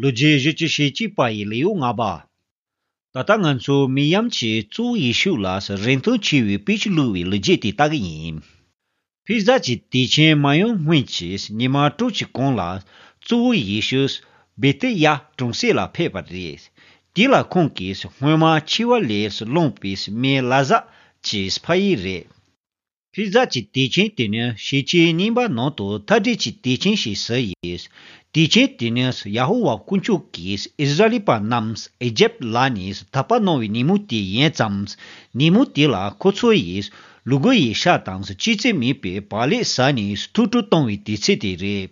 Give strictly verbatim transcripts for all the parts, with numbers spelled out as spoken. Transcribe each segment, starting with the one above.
Luje jichi shichi pai liu nga ba. Tata ngan su miyam chi zu ishu las rentu chiwi pich luwi luje ti tagi yin. Pizza chi ti chen mayon hui chis nima tu chi kong la zu ishus bete ya trungse la pepa res. Di la kong kis hui ma chiwa les long pis me laza chis pai re. Pizza chi ti chen tine shichi nimba no to tadi chi ti chen shi se yes. Tichen tines Yahuwa kunchu kis Israeli pa nams Egypt lanis tapa novi nimuti yen zams nimuti la kotso yis lugo yi shatans chiche mi pe pale sanis tutu tongwi tisiti re.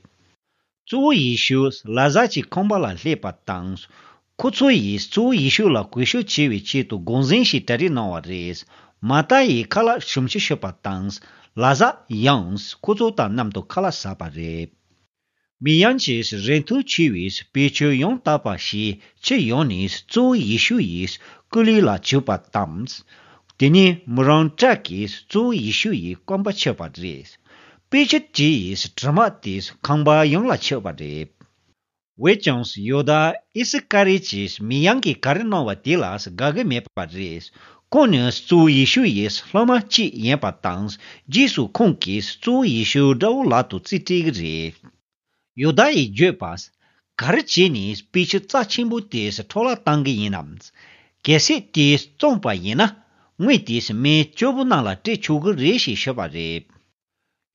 Zuo yishus lazachi komba la lepa tangs kotso yis zuo yishu la kwishu chiwi chitu gonzen shi tari nawa res mata yi kala shumshi shepa tangs laza yangs kotso ta namto kala sapa re. Miyanchis rentu chiwis pecho yon tapa shi che yonis zo yishu yis kuli la chupa tams. Tini murang chakis zo yishu yi kwamba chepa res. Pecho chi yis dramatis kangba yon la chepa re. Wechons yoda isikari chis miyangi karinawa tilas gage mepa res. Konyas zo yishu yis lama chi yenpa tans jisu konkis zo yishu dao latu tsitig re. Yodai Jepas, Karachinis pitch Tachimbu tis tola tangi yinams. Kesi tis zompa yina, Witis me chobunala te chugu reshi shabare.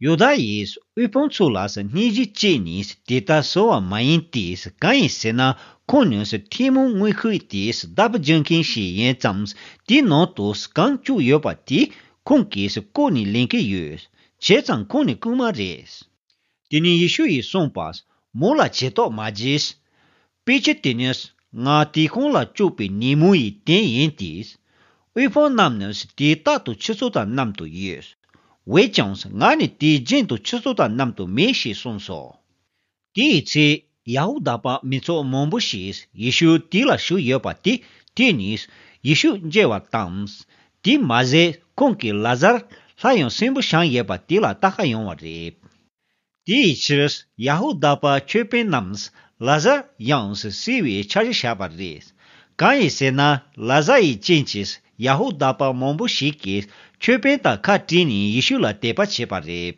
Yodais, Uponsulas, Niji Chinis, Tita soa maintis, Kain sena, Konyus, Timu Wikitis, Dab junkin shi yen zams, Dinotos, Kanchu yopati, Kunkis, Koni linki yus, Chetan Koni kumares. Tini yishu yi sompas, mola cheto majis, piche tinis, nga tikong la chupi nimu yi ten yentis, uipon namnes ti tatu chisota namto yes, wechons ngani ti jento chisota namto meshi sonso. Ti itse yahudapa mitso mombushis, yishu tila shu yopati, tinis, yishu jewa tams, ti maze konki lazar, layon simbu shang yepati la takayon warep. Di chis Yahudapa chepe nams laza yans siwi chaji shabaris. Kai sena laza i chinchis Yahudapa mombu shikis chepe ta katini yishula tepa chepare.